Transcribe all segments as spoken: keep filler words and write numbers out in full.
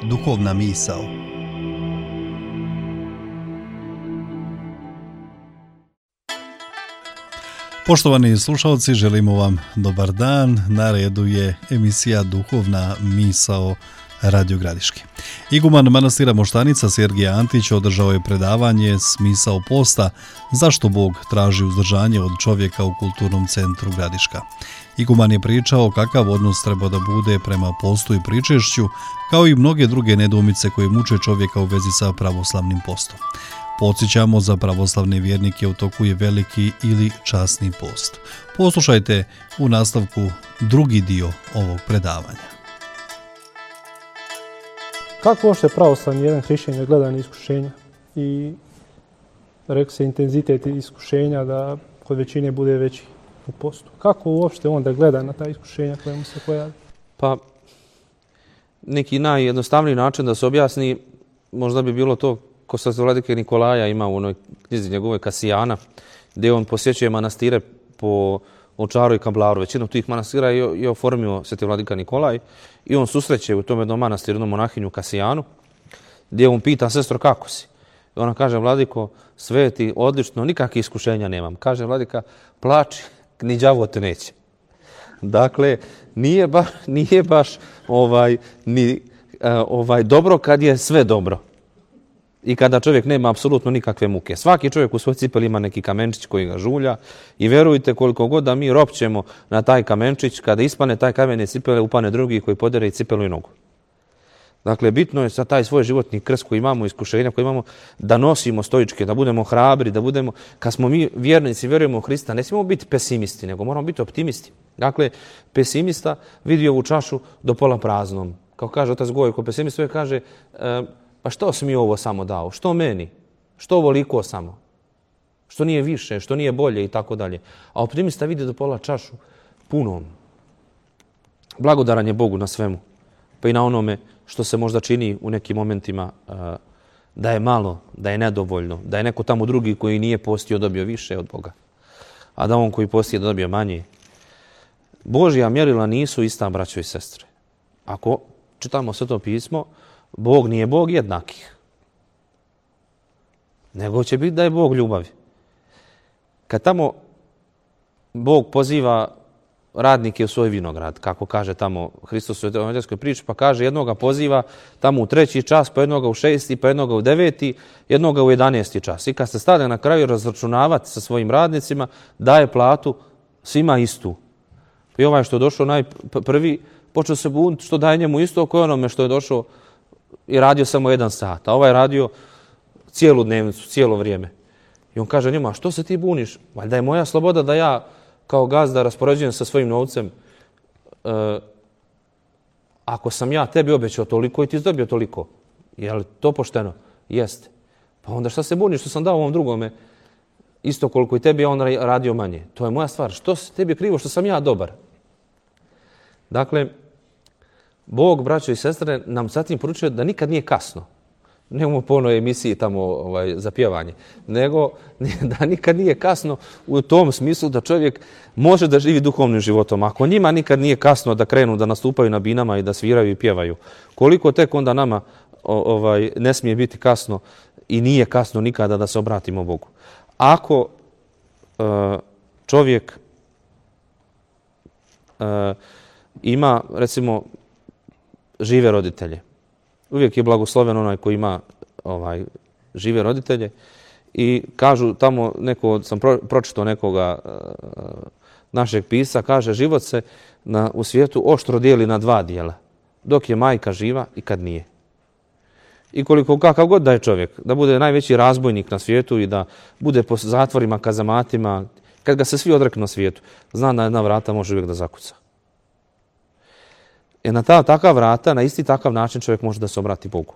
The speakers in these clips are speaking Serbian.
duhovna misao. Poštovani slušalci, želimo vam dobar dan. Na redu je emisija Duhovna misao Radio Gradiški. Iguman manastira Moštanica Sergije Antić održao je predavanje Smisao posta, zašto Bog traži uzdržanje od čovjeka u Kulturnom centru Gradiška. Iguman je pričao kakav odnos treba da bude prema postu i pričešću, kao i mnoge druge nedoumice koje muče čovjeka u vezi sa pravoslavnim postom. Podsjećamo, za pravoslavne vjernike u toku je veliki ili časni post. Poslušajte u nastavku drugi dio ovog predavanja. Kako uopšte pravoslavni jedan hrišćanin gleda na iskušenja i rekao se intenzitet iskušenja da kod većine bude veći u postu? Kako uopšte on da gleda na ta iskušenja koja mu se pojavi? Pa, neki najjednostavniji način da se objasni možda bi bilo to ko sa vladike Nikolaja ima u onoj knjizi njegove Kasijana, gdje on posjećuje manastire po Ovčaru i Kablaru. Većinu tih manastira je, je oformio sveti vladika Nikolaj i on susreće u tom jednom manastiru jednom monahinju Kasijanu, gdje on pita: sestro, kako si? I ona kaže: vladiko, sveti, odlično, nikakvih iskušenja nemam. Kaže vladika: plači, ni đavo te neće. Dakle, nije baš, nije baš ovaj, ni, ovaj, dobro kad je sve dobro. I kada čovjek nema apsolutno nikakve muke. Svaki čovjek u svoj cipeli ima neki kamenčić koji ga žulja i vjerujte, koliko god da mi ropćemo na taj kamenčić, kada ispane taj kamen iz cipele, upane drugi koji podere i cipelu i nogu. Dakle, bitno je sa taj svoj životni krst koji imamo, iskušenja koji imamo, da nosimo stoičke, da budemo hrabri, da budemo, kad smo mi vjernici, vjerujemo u Hrista, ne smijemo biti pesimisti, nego moramo biti optimisti. Dakle, pesimista vidi ovu čašu do pola praznom. Kao kaže otac Gojko, pesimist uvijek kaže: e, pa što si mi ovo samo dao? Što meni? Što ovoliko samo? Što nije više? Što nije bolje? I tako dalje. A optimista vidi do pola čašu punom. Blagodaran je Bogu na svemu. Pa i na onome što se možda čini u nekim momentima uh, da je malo, da je nedovoljno, da je neko tamo drugi koji nije postio dobio više od Boga, a da on koji postio dobio manje. Božja mjerila nisu ista, braćo i sestre. Ako čitamo Sveto pismo, Bog nije Bog jednakih, nego će biti da je Bog ljubavi. Kad tamo Bog poziva radnike u svoj vinograd, kako kaže tamo Hristos u evanđelskoj priči, pa kaže jednoga poziva tamo u treći čas, pa jednoga u šesti, pa jednoga u deveti, jednoga u jedanesti čas. I kad se stane na kraju razračunavati sa svojim radnicima, daje platu svima istu. I ovaj što je došao najprvi, počeo se buniti što daje njemu isto kao onome što je došao i radio samo jedan sat, a ovaj radio cijelu dnevnicu, cijelo vrijeme. I on kaže njima: što se ti buniš? Valjda je moja sloboda da ja kao gazda raspoređujem sa svojim novcem. E, ako sam ja tebi obećao toliko i ti dobio toliko, je li to pošteno? Jeste. Pa onda šta se buniš što sam dao ovom drugome isto koliko i tebi, a on radio manje? To je moja stvar. Što se tebi krivo što sam ja dobar? Dakle, Bog, braćo i sestre, nam zatim poručuje da nikad nije kasno. Ne u ponoj emisiji tamo ovaj, za pjevanje, nego da nikad nije kasno u tom smislu da čovjek može da živi duhovnim životom. Ako njima nikad nije kasno da krenu da nastupaju na binama i da sviraju i pjevaju, koliko tek onda nama ovaj, ne smije biti kasno i nije kasno nikada da se obratimo Bogu. Ako uh, čovjek uh, ima, recimo, žive roditelje. Uvijek je blagosloven onaj koji ima ovaj, žive roditelje i kažu tamo, neko, sam pro, pročitao nekoga uh, našeg pisa, kaže: život se na, u svijetu oštro dijeli na dva dijela, dok je majka živa i kad nije. I koliko kakav god da je čovjek, da bude najveći razbojnik na svijetu i da bude po zatvorima, kazamatima, kad ga se svi odreknu na svijetu, zna da jedna vrata može uvijek da zakuca. E na ta takav vrata, na isti takav način čovjek može da se obrati Bogu.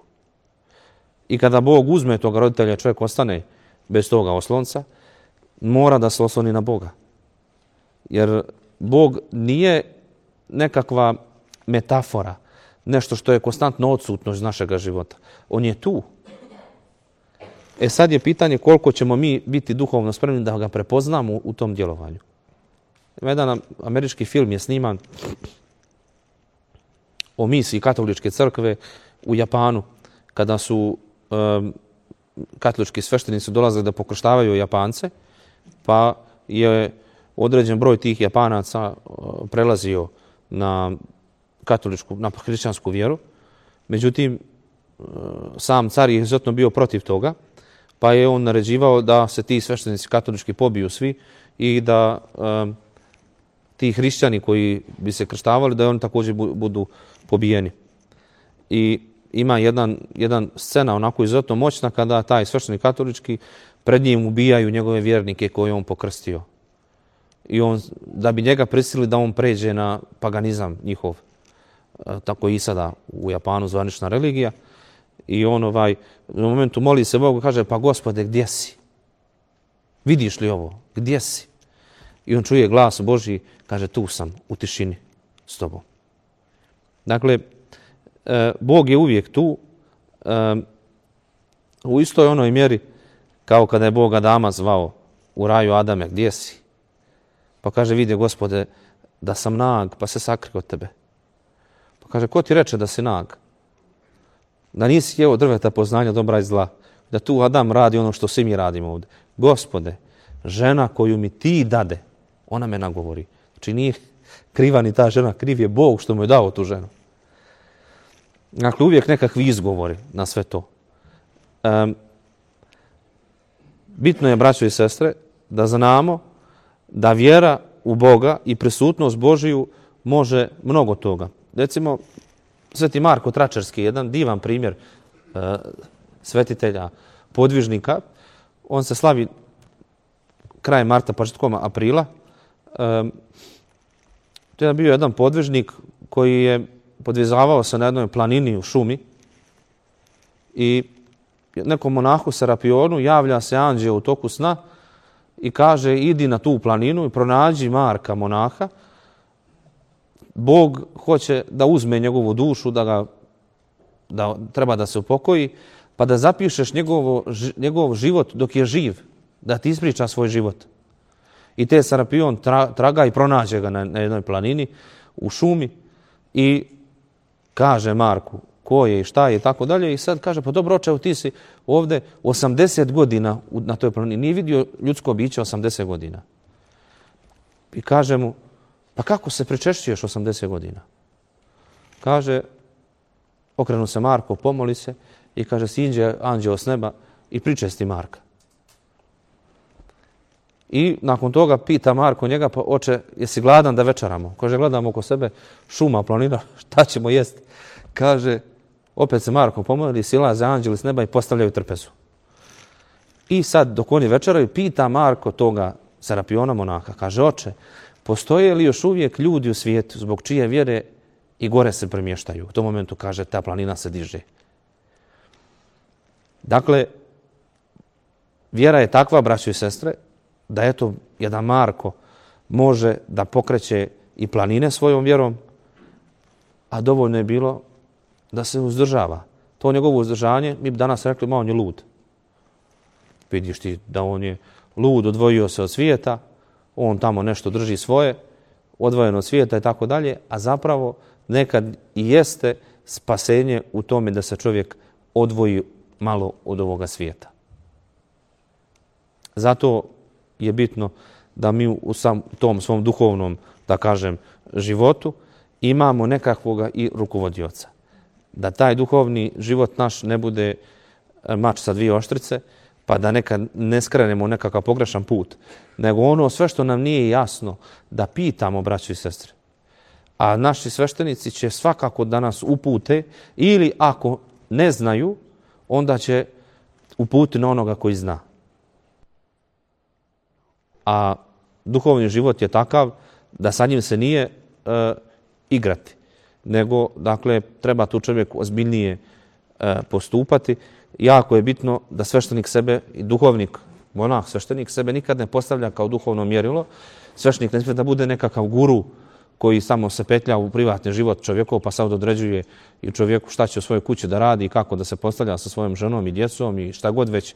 I kada Bog uzme toga roditelja, čovjek ostane bez toga oslonca, mora da se osloni na Boga. Jer Bog nije nekakva metafora, nešto što je konstantno odsutno iz našeg života. On je tu. E sad je pitanje koliko ćemo mi biti duhovno spremni da ga prepoznamo u tom djelovanju. Jedan američki film je sniman o misiji katoličke crkve u Japanu, kada su um, katolički sveštenici dolazili da pokrštavaju Japance, pa je određen broj tih Japanaca uh, prelazio na katoličku, na hrišćansku vjeru. Međutim, uh, sam car je izuzetno bio protiv toga, pa je on naređivao da se ti sveštenici katolički pobiju svi i da um, ti hrišćani koji bi se krštavali, da oni također budu pobijeni. I ima jedan, jedan scena onako izuzetno moćna kada taj sveštenik katolički pred njim ubijaju njegove vjernike koje on pokrstio. I on, da bi njega prisilili da on pređe na paganizam njihov, tako i sada u Japanu zvanična religija. I on ovaj, u momentu moli se Bogu, kaže, pa Gospode, gdje si? Vidiš li ovo? Gdje si? I on čuje glas Božji, kaže, tu sam, u tišini, s tobom. Dakle, Bog je uvijek tu, u istoj onoj mjeri kao kada je Bog Adama zvao u raju, Adame, gdje si? Pa kaže, vidi Gospode, da sam nag, pa se sakrio od tebe. Pa kaže, ko ti reče da si nag? Da nisi jeo drveta poznanja dobra i zla. Da tu Adam radi ono što svi mi radimo ovdje. Gospode, žena koju mi ti dade, ona me nagovori. Znači nije kriva ni ta žena, kriv je Bog što mu je dao tu ženu. Dakle, uvijek nekakvi izgovori na sve to. Um, bitno je, braćo i sestre, da znamo da vjera u Boga i prisutnost Božiju može mnogo toga. Recimo, Sveti Marko Tračarski, jedan divan primjer uh, svetitelja, podvižnika. On se slavi krajem marta, početkom aprila. Um, to je bio jedan podvižnik koji je podvizavao se na jednoj planini u šumi i nekom monahu Serapionu javlja se anđeo u toku sna i kaže, idi na tu planinu i pronađi Marka, monaha. Bog hoće da uzme njegovu dušu, da ga da treba da se upokoji, pa da zapišeš njegovo, njegov život dok je živ, da ti ispriča svoj život. I te Serapion tra, traga i pronađe ga na, na jednoj planini u šumi i kaže Marku ko je i šta je i tako dalje. I sad kaže, pa dobro oče, ti si ovdje osamdeset godina na toj planini. Nije vidio ljudsko biće osamdeset godina. I kaže mu, pa kako se pričešćuješ osamdeset godina? Kaže, okrenu se Marko, pomoli se i kaže, siđe anđeo s neba i pričesti Marka. I nakon toga pita Marko njega, pa oče, jesi gladan da večeramo? Kaže, gledamo oko sebe, šuma, planina, šta ćemo jesti? Kaže, opet se Marko pomoli, silaze anđeli s neba i postavljaju trpezu. I sad, dok oni večeraju, pita Marko toga Serapiona monaha, kaže, oče, postoje li još uvijek ljudi u svijetu zbog čije vjere i gore se premještaju? U tom momentu, kaže, ta planina se diže. Dakle, vjera je takva, braćo i sestre, da eto, jedan Marko može da pokreće i planine svojom vjerom, a dovoljno je bilo da se uzdržava. To njegovo uzdržanje, mi bi danas rekli, ma on je lud. Vidiš ti da on je lud, odvojio se od svijeta, on tamo nešto drži svoje, odvojeno od svijeta i tako dalje, a zapravo nekad i jeste spasenje u tome da se čovjek odvoji malo od ovoga svijeta. Zato je bitno da mi u sam tom svom duhovnom, da kažem, životu imamo nekakvoga i rukovodioca. Da taj duhovni život naš ne bude mač sa dvije oštrice, pa da nekad ne skrenemo nekakav pogrešan put, nego ono sve što nam nije jasno, da pitamo, braćo i sestre. A naši sveštenici će svakako da nas upute ili ako ne znaju, onda će uputiti na onoga koji zna. A duhovni život je takav da sa njim se nije e, igrati, nego dakle treba tu čovjek ozbiljnije e, postupati. Jako je bitno da sveštenik sebe i duhovnik, monah, sveštenik sebe nikad ne postavlja kao duhovno mjerilo. Sveštenik ne smije da bude nekakav guru koji samo se petlja u privatni život čovjekov pa sad određuje i čovjeku šta će u svojoj kući da radi i kako da se postavlja sa svojom ženom i djecom i šta god već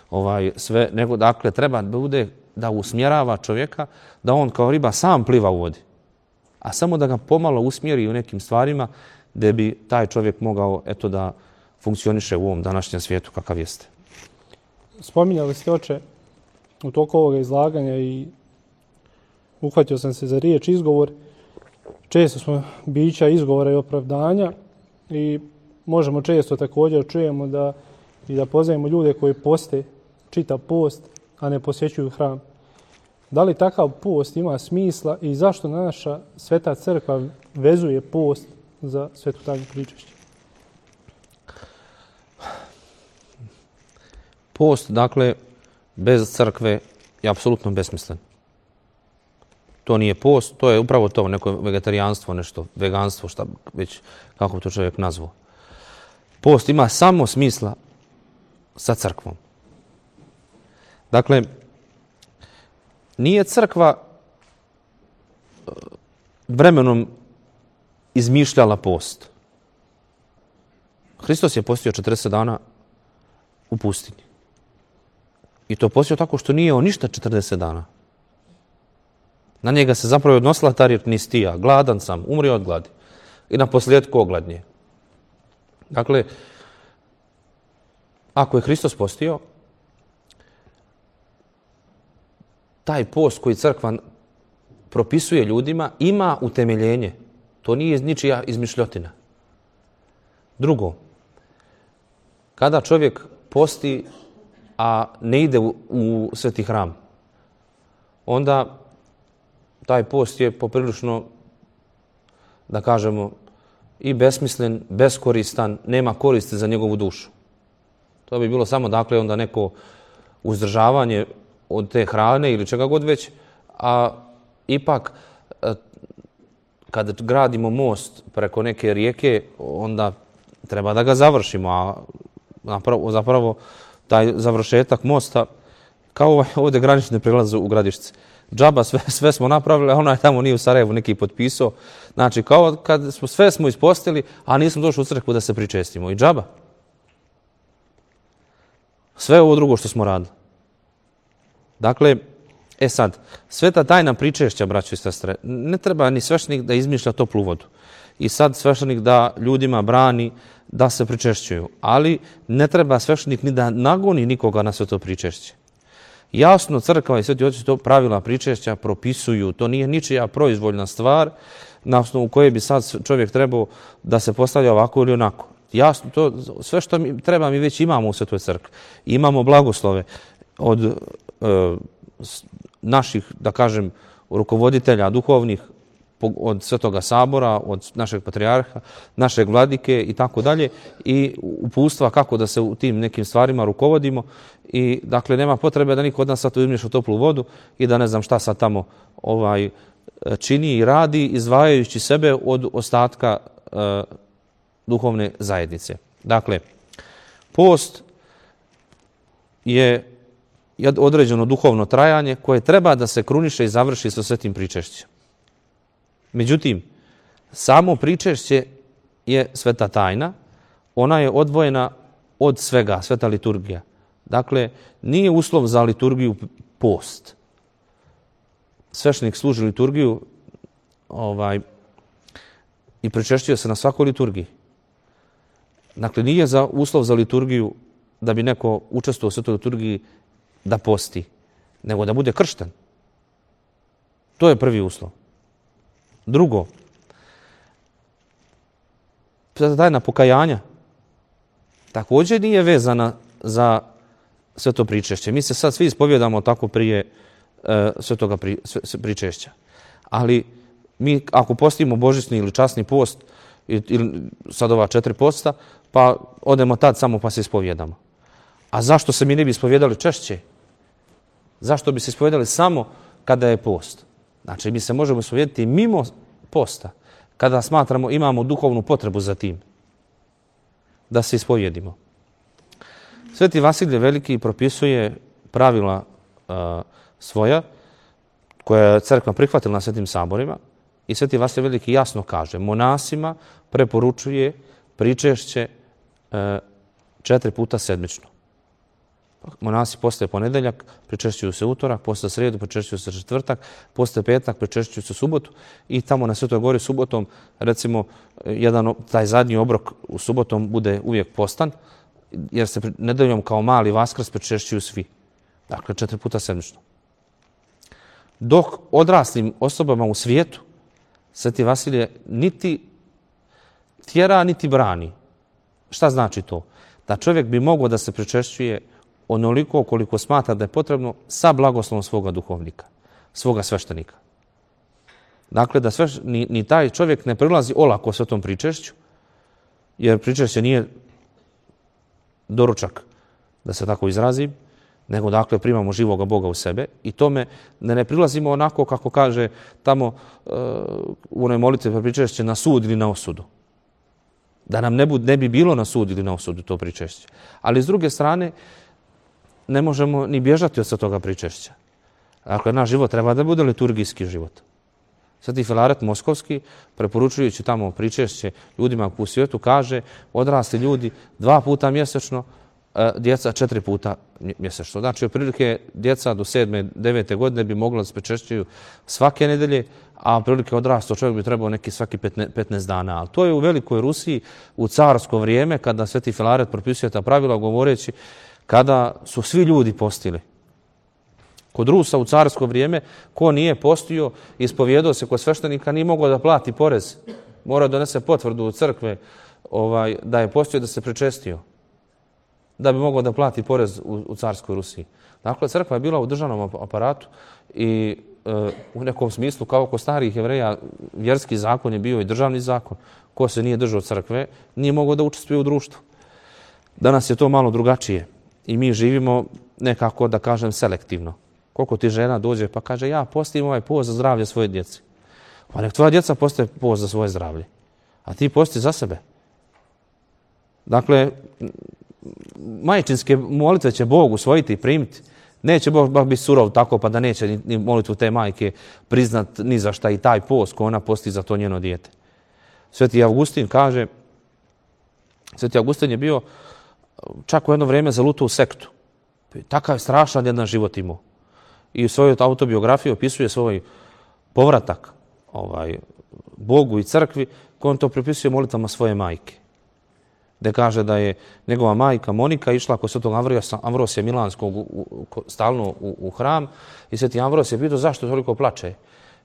ovaj, sve. Nego dakle treba da bude da usmjerava čovjeka da on kao riba sam pliva u vodi. A samo da ga pomalo usmjeri u nekim stvarima gdje bi taj čovjek mogao eto da funkcioniše u ovom današnjem svijetu kakav jeste. Spominjali ste, oče, u toku ovoga izlaganja i uhvatio sam se za riječ izgovor. Često smo bića izgovora i opravdanja i možemo često također čujemo da i da pozivamo ljude koji poste čitav post, a ne posjećuju hram. Da li takav post ima smisla i zašto naša Sveta Crkva vezuje post za Svetu tajnu pričešća? Post, dakle, bez crkve je apsolutno besmislen. To nije post, to je upravo to, neko vegetarijanstvo, nešto, veganstvo, šta već, kako to čovjek nazvao. Post ima samo smisla sa crkvom. Dakle, nije crkva vremenom izmišljala post. Hristos je postio četrdeset dana u pustinji. I to postio tako što nije on ništa četrdeset dana. Na njega se zapravo odnosila ta riječ nistija. Gladan sam, umrio od gladi. I na posljedku ogladnje. Dakle, ako je Hristos postio, taj post koji crkva propisuje ljudima ima utemeljenje. To nije ničija izmišljotina. Drugo, kada čovjek posti, a ne ide u, u sveti hram, onda taj post je poprilično, da kažemo, i besmislen, beskoristan, nema koristi za njegovu dušu. To bi bilo samo, dakle, onda neko uzdržavanje od te hrane ili čega god već, a ipak kad gradimo most preko neke rijeke, onda treba da ga završimo, a zapravo, zapravo taj završetak mosta, kao ovdje granične prelaze u Gradišci. Džaba, sve, sve smo napravili, a onaj tamo nije u Sarajevu neki potpisao. Znači, kao kad smo, sve smo ispostili, a nismo došli u crkvu da se pričestimo. I džaba. Sve ovo drugo što smo radili. Dakle, e sad, sveta tajna pričešća, braćo i sestre, ne treba ni sveštenik da izmišlja toplu vodu. I sad sveštenik da ljudima brani da se pričešćuju. Ali ne treba sveštenik ni da nagoni nikoga na sve to pričešće. Jasno, crkva i sveti oci to pravila pričešća propisuju. To nije ničija proizvoljna stvar na osnovu koje bi sad čovjek trebao da se postavlja ovako ili onako. Jasno, to, sve što mi treba mi već imamo u Svetoj crkvi. Imamo blagoslove od e, naših, da kažem, rukovoditelja duhovnih, od Svetoga sabora, od našeg patrijarha, našeg vladike i tako dalje, i upustva kako da se u tim nekim stvarima rukovodimo. I dakle, nema potrebe da niko od nas sad izmišlja toplu vodu i da ne znam šta sad tamo ovaj čini i radi, izdvajajući sebe od ostatka e, duhovne zajednice. Dakle, post je određeno duhovno trajanje koje treba da se kruniše i završi sa svetim pričešćem. Međutim, samo pričešće je sveta tajna, ona je odvojena od svega, sveta liturgija. Dakle, nije uslov za liturgiju post. Sveštenik služi liturgiju ovaj, i pričešćuje se na svakoj liturgiji. Dakle, nije za uslov za liturgiju da bi neko učestvovao u svetoj liturgiji da posti, nego da bude kršten. To je prvi uslov. Drugo, sveta tajna pokajanja također nije vezana za sveto pričešće. Mi se sad svi ispovjedamo tako prije e, svetoga pri, sve, pričešća. Ali mi ako postimo božićni ili časni post, ili sad ova četiri posta, pa odemo tad samo pa se ispovjedamo. A zašto se mi ne bi ispovjedali češće? Zašto bi se ispovjedali samo kada je post? Znači, mi se možemo ispovjediti mimo posta, kada smatramo imamo duhovnu potrebu za tim, da se ispovjedimo. Sveti Vasilije Veliki propisuje pravila uh, svoja, koje je crkva prihvatila na svetim saborima, i Sveti Vasilije Veliki jasno kaže, monasima preporučuje pričešće uh, četiri puta sedmično. monasi postaje ponedjeljak, pričešćuju se utorak, postaje srijedu, pričešćuju se četvrtak, postaje petak, pričešćuju se subotu i tamo na Svetoj Gori subotom, recimo, jedan, taj zadnji obrok u subotom bude uvijek postan, jer se nedeljom kao mali Vaskrs pričešćuju svi. Dakle, četiri puta sedmično. Dok odraslim osobama u svijetu Sveti Vasilije niti tjera, niti brani. Šta znači to? Da čovjek bi mogao da se pričešćuje onoliko koliko smatra da je potrebno sa blagoslovom svoga duhovnika, svoga sveštenika. Dakle, da sveš, ni, ni taj čovjek ne prilazi olako svetom pričešću, jer pričešće nije doručak, da se tako izrazim, nego dakle primamo živoga Boga u sebe i tome ne, ne prilazimo onako kako kaže tamo uh, u onoj molitvi pričešće na sud ili na osudu. Da nam ne, bud, ne bi bilo na sud ili na osudu to pričešće. Ali s druge strane ne možemo ni bježati od toga pričešća. Dakle, naš život treba da bude liturgijski život. Sveti Filaret Moskovski, preporučujući tamo pričešće ljudima u svijetu, kaže odrasli ljudi dva puta mjesečno, djeca četiri puta mjesečno. Znači, otprilike djeca do sedme, devete godine bi mogla da se pričešćuju svake nedelje, a otprilike odrastao čovjek bi trebao neki svaki petnaest dana. Ali to je u Velikoj Rusiji u carsko vrijeme, kada Sveti Filaret propisuje ta pravila, govoreći kada su svi ljudi postili. Kod Rusa u carsko vrijeme, ko nije postio, ispovjedao se kod sveštenika, nije mogao da plati porez. Mora donese potvrdu u crkve ovaj, da je postio, da se pričestio, da bi mogao da plati porez u, u carskoj Rusiji. Dakle, crkva je bila u državnom aparatu i e, u nekom smislu, kao kod starih Jevreja, vjerski zakon je bio i državni zakon. Ko se nije držao crkve, nije mogao da učestvuje u društvu. Danas je to malo drugačije i mi živimo nekako, da kažem, selektivno. Koliko ti žena dođe pa kaže ja postim ovaj post za zdravlje svoje djece. Pa nek tvoja djeca postaje post za svoje zdravlje. A ti posti za sebe. Dakle, majčinske molitve će Bog usvojiti i primiti. Neće Bog baš biti surov tako pa da neće ni, ni molitvu te majke priznat ni za šta i taj post ko ona posti za to njeno dijete. Sveti Avgustin kaže, Sveti Avgustin je bio čak u jedno vrijeme zalutao u sektu. Takav strašan jedan život imao. I u svojoj autobiografiji opisuje svoj povratak ovaj, Bogu i crkvi, koji on to pripisuje molitvama svoje majke. Gde kaže da je njegova majka Monika išla kod svetog Amvrosija Milanskog u, u, stalno u, u hram i sveti Ambros je pitao zašto toliko plače.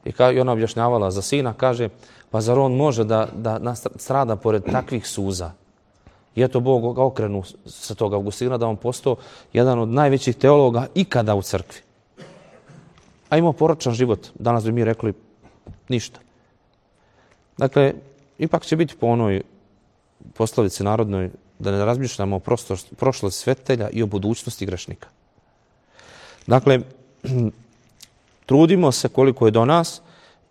I, ka, I ona objašnjavala za sina, kaže pa zar on može da, da strada pored takvih suza? I eto Bog ga okrenu sa toga Augustina da on postao jedan od najvećih teologa ikada u crkvi. A imao poročan život. Danas bi mi rekli ništa. Dakle, ipak će biti po onoj poslovici narodnoj da ne razmišljamo o prošlosti svetelja i o budućnosti grešnika. Dakle, trudimo se koliko je do nas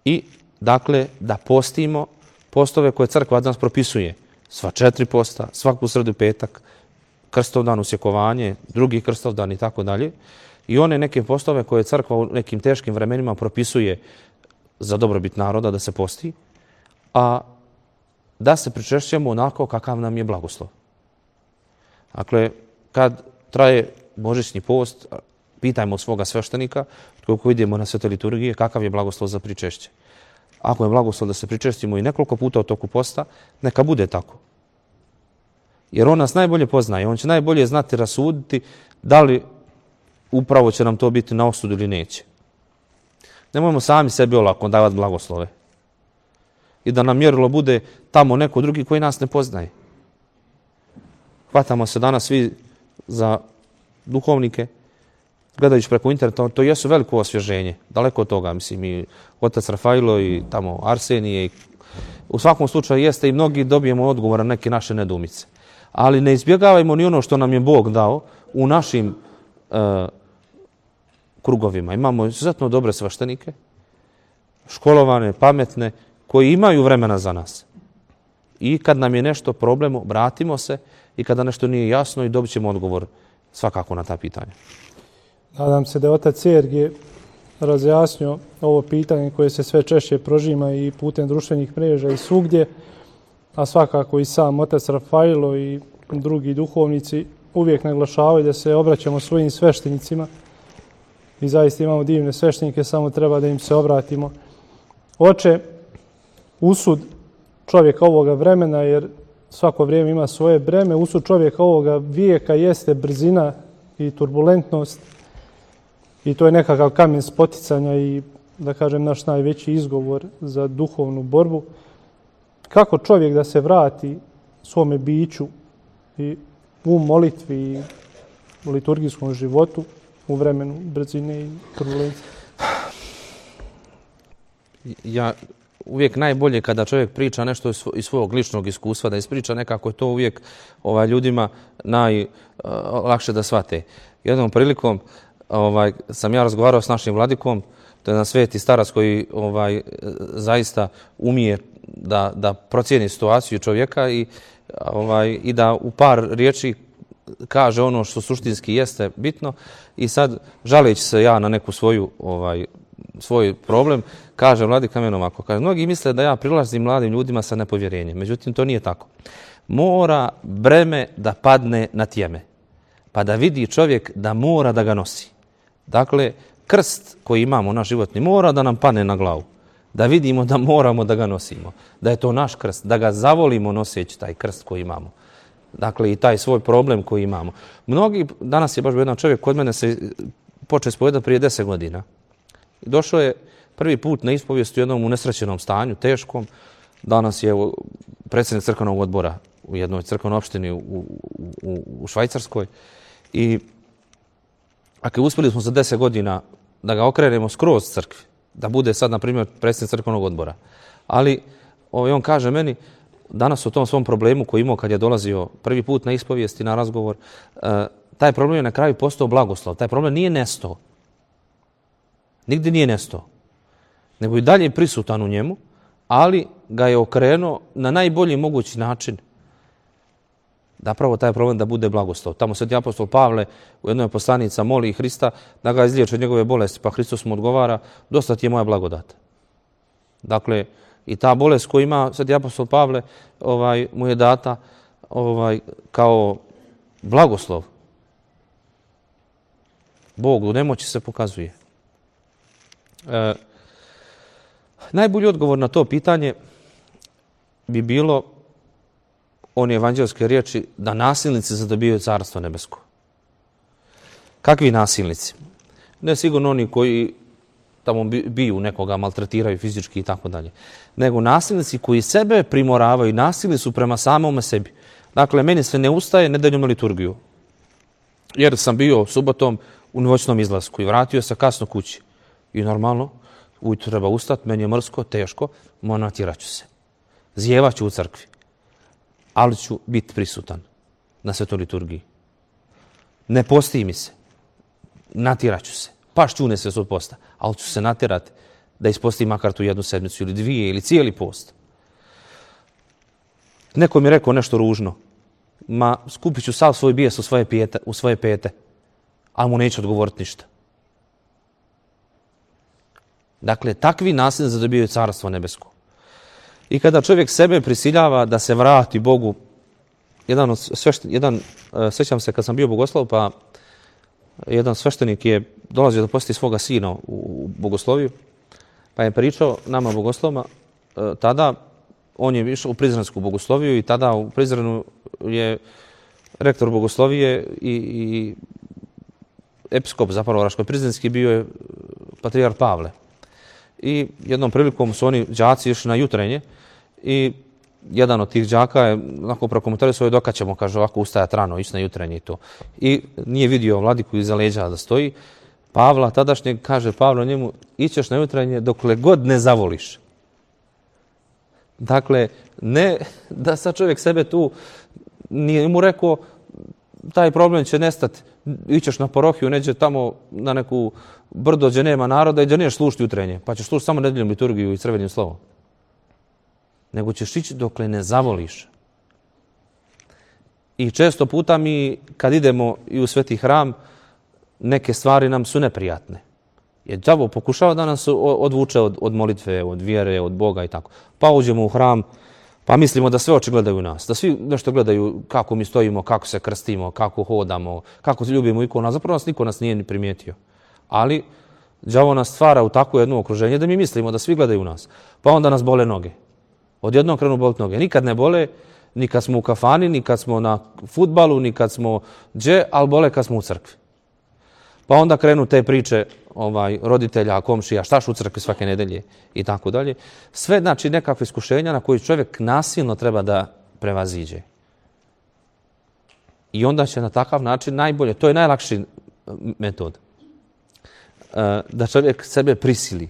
i dakle da postimo postove koje crkva od nas propisuje. Sva četiri posta, svaku sredu petak, krstovdan, usjekovanje, drugi krstovdan i tako dalje. I one neke postove koje crkva u nekim teškim vremenima propisuje za dobrobit naroda da se posti, a da se pričešćujemo onako kakav nam je blagoslov. Dakle, kad traje božićni post, pitajmo svoga sveštenika, koliko idemo na svete liturgije, kakav je blagoslov za pričešće. Ako je blagoslov da se pričestimo i nekoliko puta u toku posta, neka bude tako. Jer on nas najbolje poznaje, on će najbolje znati rasuditi da li upravo će nam to biti na osudu ili neće. Nemojmo sami sebi olako davati blagoslove. I da nam mjerilo bude tamo neko drugi koji nas ne poznaje. Hvatamo se danas svi za duhovnike, gledajući preko interneta, to jesu veliko osvježenje. Daleko od toga, mislim, i otac Rafailo i tamo Arsenije. I u svakom slučaju jeste i mnogi dobijemo odgovor na neke naše nedumice. Ali ne izbjegavajmo ni ono što nam je Bog dao u našim uh, krugovima. Imamo izuzetno dobre sveštenike, školovane, pametne, koji imaju vremena za nas. I kad nam je nešto problem, obratimo se i kada nešto nije jasno i dobit ćemo odgovor svakako na ta pitanja. Nadam se da je otac Sergije razjasnio ovo pitanje koje se sve češće prožima i putem društvenih mreža i svugdje, a svakako i sam otac Rafailo i drugi duhovnici uvijek naglašavaju da se obraćamo svojim sveštenicima i zaista imamo divne sveštenike, samo treba da im se obratimo. Oče, usud čovjeka ovoga vremena, jer svako vrijeme ima svoje breme, usud čovjeka ovoga vijeka jeste brzina i turbulentnost i to je nekakav kamen spoticanja i, da kažem, naš najveći izgovor za duhovnu borbu. Kako čovjek da se vrati svome biću i u molitvi i u liturgijskom životu u vremenu brzine i turbulencije? Ja uvijek najbolje kada čovjek priča nešto iz svojeg ličnog iskustva, da ispriča nekako, je to uvijek ovaj, ljudima najlakše uh, da shvate. Jednom prilikom ovaj, sam ja razgovarao s našim vladikom, to je jedan sveti starac koji ovaj, zaista umije da, da procijeni situaciju čovjeka i, ovaj, i da u par riječi kaže ono što suštinski jeste bitno. I sad, žaleći se ja na neku svoju ovaj, svoj problem, kaže vladika meni ovako. Kaže, mnogi misle da ja prilazim mladim ljudima sa nepovjerenjem. Međutim, to nije tako. Mora breme da padne na tjeme. Pa da vidi čovjek da mora da ga nosi. Dakle, krst koji imamo, naš životni, mora da nam padne na glavu. Da vidimo da moramo da ga nosimo. Da je to naš krst. Da ga zavolimo noseći taj krst koji imamo. Dakle, i taj svoj problem koji imamo. Mnogi, danas je baš jedan čovjek kod mene se počeo ispovedati prije deset godina. I došao je prvi put na ispovijest u jednom unesrećenom stanju, teškom. Danas je predsjednik crkvenog odbora u jednoj crkvenoj opštini u, u, u Švajcarskoj. I ako uspjeli smo za deset godina da ga okrenemo skroz crkvi, da bude sad, na primjer, predsjednik crkvenog odbora. Ali ovaj, on kaže meni, danas u tom svom problemu koji imao kad je dolazio prvi put na ispovijest i na razgovor, uh, taj problem je na kraju postao blagoslov. Taj problem nije nestao. Nigdje nije nestao. Nego i dalje je prisutan u njemu, ali ga je okrenuo na najbolji mogući način da pravo taj problem da bude blagoslov. Tamo sveti apostol Pavle u jednoj poslanica moli Hrista da ga izliječi od njegove bolesti, pa Hristos mu odgovara, dosta ti je moja blagodat. Dakle, i ta bolest koju ima sveti apostol Pavle ovaj, mu je data ovaj, kao blagoslov. Bog u nemoći se pokazuje. E, najbolji odgovor na to pitanje bi bilo one evanđelske riječi da nasilnici zadobijaju carstvo nebesko. Kakvi nasilnici? Ne sigurno oni koji tamo biju nekoga, maltretiraju fizički i tako dalje. Nego nasilnici koji sebe primoravaju, nasilni su prema samome sebi. Dakle, meni se ne ustaje nedeljom na liturgiju. Jer sam bio subotom u noćnom izlasku i vratio se kasno kući. I normalno, ujutro treba ustati, meni je mrsko, teško, natjerat ću se. Zjevat ću u crkvi. Ali ću biti prisutan na svetoj liturgiji. Ne posti mi se. Natjerat ću se. Pašću ne se svoj posta. Ali ću se natjerati da ispostim makar tu jednu sedmicu ili dvije ili cijeli post. Neko mi je rekao nešto ružno. Ma, skupit ću sav svoj bijes u svoje, pijete, u svoje pete. Ali mu neću odgovoriti ništa. Dakle, takvi nasilnici zadobijaju carstvo nebesko. I kada čovjek sebe prisiljava da se vrati Bogu, jedan od svešten, jedan, sjećam se kad sam bio bogoslov, pa jedan sveštenik je dolazio da posti svoga sina u bogosloviju, pa je pričao nama bogoslovima, tada on je išao u Prizrensku bogosloviju i tada u Prizrenu je rektor bogoslovije i, i episkop zapravo Raško-Prizrenski bio je patrijar Pavle. I jednom prilikom su oni đaci išli na jutrenje i jedan od tih đaka je onako prokomentarisao dok ćemo, kaže, ovako ustajati rano, ići na jutrenje i to. I nije vidio vladiku iza leđa da stoji. Pavla tadašnjeg kaže Pavlo njemu, ićeš na jutrenje dokle god ne zavoliš. Dakle, ne da sad čovjek sebe tu, nije mu rekao taj problem će nestati, ićeš na parohiju, neđe tamo na neku brdo gdje nema naroda i gdje neš slušati jutrenje, pa ćeš slušati samo nedeljom liturgiju i crvenim slovom. Nego ćeš ići dokle ne zavoliš. I često puta mi, kad idemo i u sveti hram, neke stvari nam su neprijatne. Jer đavo pokušava da nas odvuče od, od molitve, od vjere, od Boga i tako. Pa uđemo u hram, Pa mislimo da sve oči gledaju nas, da svi nešto gledaju kako mi stojimo, kako se krstimo, kako hodamo, kako ljubimo ikonu, a zapravo nas niko nas nije ni primijetio. Ali đavo nas stvara u takvo jedno okruženje da mi mislimo da svi gledaju nas. Pa onda nas bole noge. Odjednom krenu boliti noge. Nikad ne bole, ni kad smo u kafani, ni kad smo na fudbalu, ni kad smo gdje, ali bole kad smo u crkvi. Pa onda krenu te priče ovaj, roditelja, komšija, štaš u crkvi svake nedelje i tako dalje. Sve znači nekakve iskušenja na koje čovjek nasilno treba da prevaziđe. I onda će na takav način najbolje, to je najlakši metod, da čovjek sebe prisili.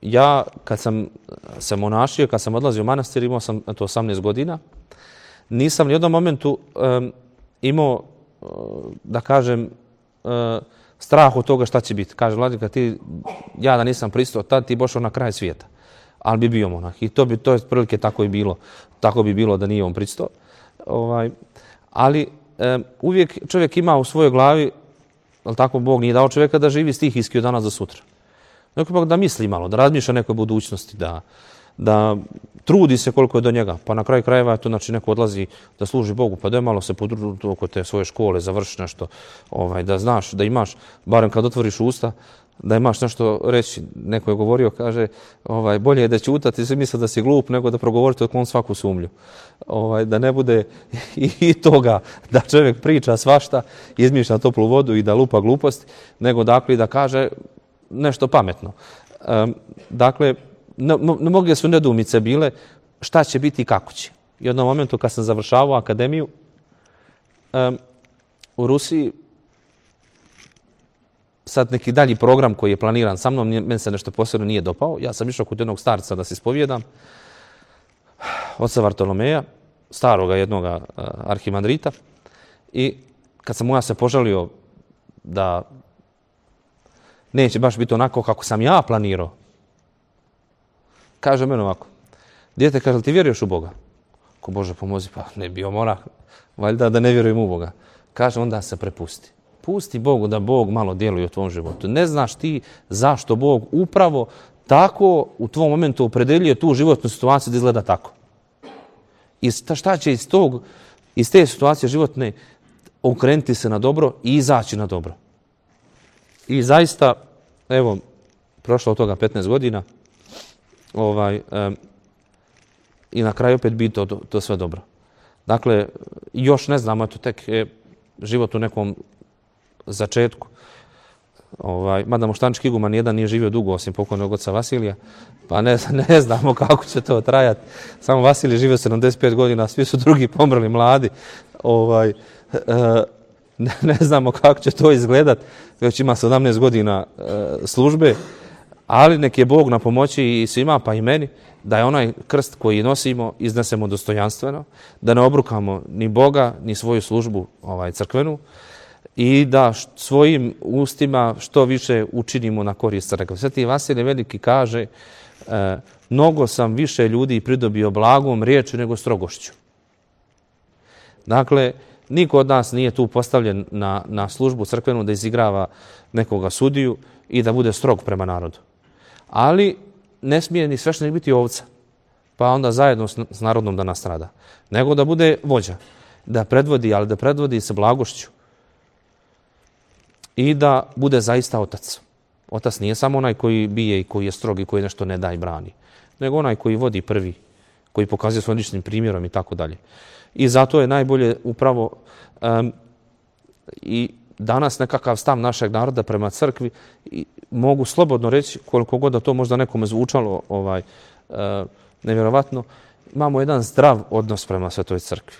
Ja kad sam se monašio, kad sam odlazio u manastir, imao sam to osamnaest godina, nisam ni u jednom momentu imao, da kažem, strah od toga šta će biti. Kaže vladika, ti, ja da nisam pristao, tad ti bošao na kraj svijeta. Ali bi bio monah. I to bi, to je prilike tako i bilo. Tako bi bilo da nije on pristao. Ovaj, ali e, uvijek čovjek ima u svojoj glavi, ali tako Bog nije dao čovjeka da živi stihijski od danas do sutra. Neko da misli malo, da razmišlja o nekoj budućnosti, da, da trudi se koliko je do njega. Pa na kraju krajeva to znači neko odlazi da služi Bogu, pa da je malo se podružiti oko te svoje škole, završi nešto, ovaj, da znaš, da imaš, barem kad otvoriš usta, da imaš nešto reći. Neko je govorio, kaže, ovaj, bolje je da ćutati i se misle da si glup nego da progovorite otklon svaku sumlju. Ovaj, da ne bude i, i toga da čovjek priča svašta, izmišlja toplu vodu i da lupa gluposti, nego dakle da kaže nešto pametno. Um, dakle, mnoge su nedoumice bile šta će biti i kako će. I u jednom momentu kad sam završavao akademiju um, u Rusiji, sad neki dalji program koji je planiran sa mnom, meni se nešto posebno nije dopao. Ja sam išao kod jednog starca da se ispovijedam, oca Vartolomeja, staroga jednoga uh, arhimandrita. I kad sam mu ja se požalio da neće baš biti onako kako sam ja planirao, kaže meni ovako, dijete, kaže, ti vjeruješ u Boga? Ko Bože pomozi, pa ne bio mora, valjda da ne vjerujem u Boga. Kaže, onda se prepusti. Pusti Bogu da Bog malo djeluje u tvom životu. Ne znaš ti zašto Bog upravo tako u tvom momentu opredeljuje tu životnu situaciju da izgleda tako. I šta će iz, tog, iz te situacije životne okrenuti se na dobro i izaći na dobro. I zaista, evo, prošlo od toga petnaest godina, ovaj, um, i na kraju opet biti to, to sve dobro. Dakle, još ne znamo, eto tek je život u nekom začetku. Ovaj, mada moštanički iguman jedan nije živio dugo osim pokojnog oca Vasilija, pa ne, ne znamo kako će to trajati. Samo Vasilij živio sedamdeset pet godina, svi su drugi pomrli mladi. Ovaj, uh, ne, ne znamo kako će to izgledat, već ima sedamnaest godina uh, službe, ali nek je Bog na pomoći i svima, pa i meni, da je onaj krst koji nosimo iznesemo dostojanstveno, da ne obrukamo ni Boga, ni svoju službu ovaj, crkvenu, i da svojim ustima što više učinimo na korist crkve. Sveti Vasilij Veliki kaže, e, mnogo sam više ljudi pridobio blagom riječju nego strogošću. Dakle, niko od nas nije tu postavljen na, na službu crkvenu da izigrava nekoga sudiju i da bude strog prema narodu. Ali ne smije ni sveštenik biti ovca, pa onda zajedno s, s narodom da nastrada. Nego da bude vođa, da predvodi, ali da predvodi sa blagošću. I da bude zaista otac. Otac nije samo onaj koji bije i koji je strog i koji nešto ne da i brani, nego onaj koji vodi prvi, koji pokazuje svojim ličnim primjerom i tako dalje. I zato je najbolje upravo um, i danas nekakav stav našeg naroda prema crkvi, i mogu slobodno reći, koliko god da to možda nekome zvučalo ovaj, uh, nevjerovatno, imamo jedan zdrav odnos prema Svetoj crkvi.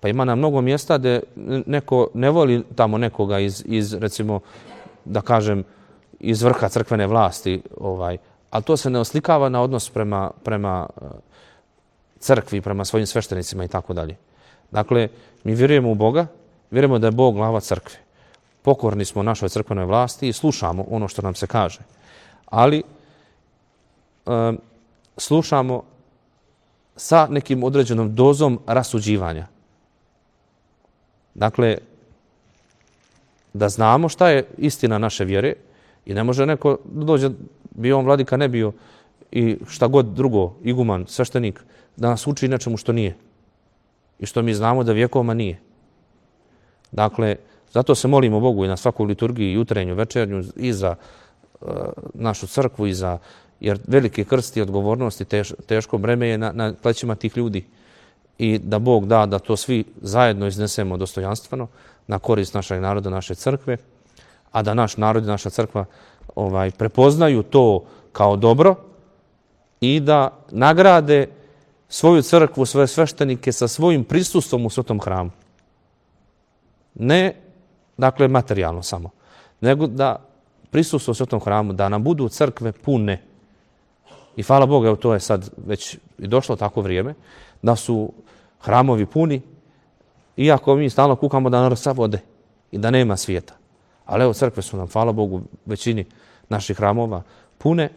Pa ima na mnogo mjesta gdje neko ne voli tamo nekoga iz, iz recimo, da kažem, iz vrha crkvene vlasti, ovaj, ali to se ne oslikava na odnos prema, prema crkvi, prema svojim sveštenicima i tako dalje. Dakle, mi vjerujemo u Boga, vjerujemo da je Bog glava crkve. Pokorni smo našoj crkvenoj vlasti i slušamo ono što nam se kaže. Ali um, slušamo sa nekim određenom dozom rasuđivanja. Dakle, da znamo šta je istina naše vjere i ne može neko dođe, bio on vladika, ne bio, i šta god drugo, iguman, sveštenik, da nas uči nečemu što nije. I što mi znamo da vjekovima nije. Dakle, zato se molimo Bogu i na svakoj liturgiji, jutrenju, večernju, i za uh, našu crkvu, i za, jer veliki krst i odgovornost i teš, teško breme je na, na plećima tih ljudi. I da Bog da da to svi zajedno iznesemo dostojanstveno na korist našeg naroda, naše crkve, a da naš narod i naša crkva ovaj, prepoznaju to kao dobro i da nagrade svoju crkvu, svoje sveštenike sa svojim prisustvom u svetom hramu. Ne, dakle, materijalno samo, nego da prisustvo u svetom hramu, da nam budu crkve pune. I hvala Bogu, evo to je sad već i došlo tako vrijeme, da su hramovi puni, iako mi stalno kukamo da narod sav ode i da nema svijeta. Ali evo, crkve su nam, hvala Bogu, većini naših hramova pune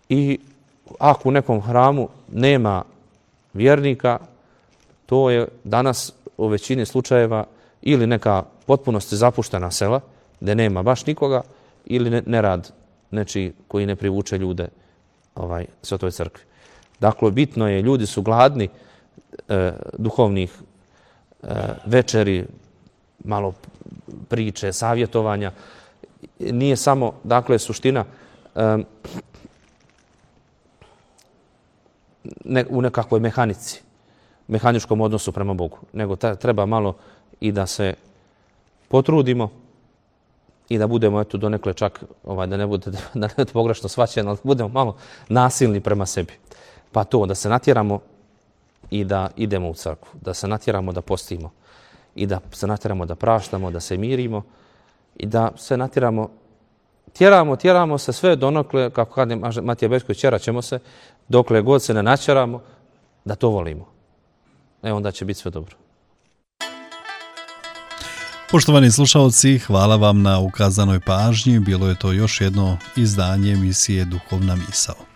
i ako u nekom hramu nema vjernika, to je danas u većini slučajeva ili neka potpunosti zapuštena sela, gdje nema baš nikoga, ili nerad nečiji koji ne privuče ljude ovaj, svetoj crkvi. Dakle, bitno je, ljudi su gladni e, duhovnih e, večeri, malo priče, savjetovanja. Nije samo, dakle, suština e, ne, u nekakvoj mehanici, mehaničkom odnosu prema Bogu, nego ta, treba malo i da se potrudimo i da budemo, eto, donekle čak, ovaj, da ne bude, da ne bude pogrešno shvaćeno, ali da budemo malo nasilni prema sebi. Pa to, da se natjeramo i da idemo u crkvu, da se natjeramo da postimo i da se natjeramo da praštamo, da se mirimo i da se natjeramo, tjeramo, tjeramo se sve donekle, kako kaže Matija Bećković, tjerat ćemo se, dokle god se ne natjeramo, da to volimo. E, onda će biti sve dobro. Poštovani slušalci, hvala vam na ukazanoj pažnji. Bilo je to još jedno izdanje emisije Duhovna misao.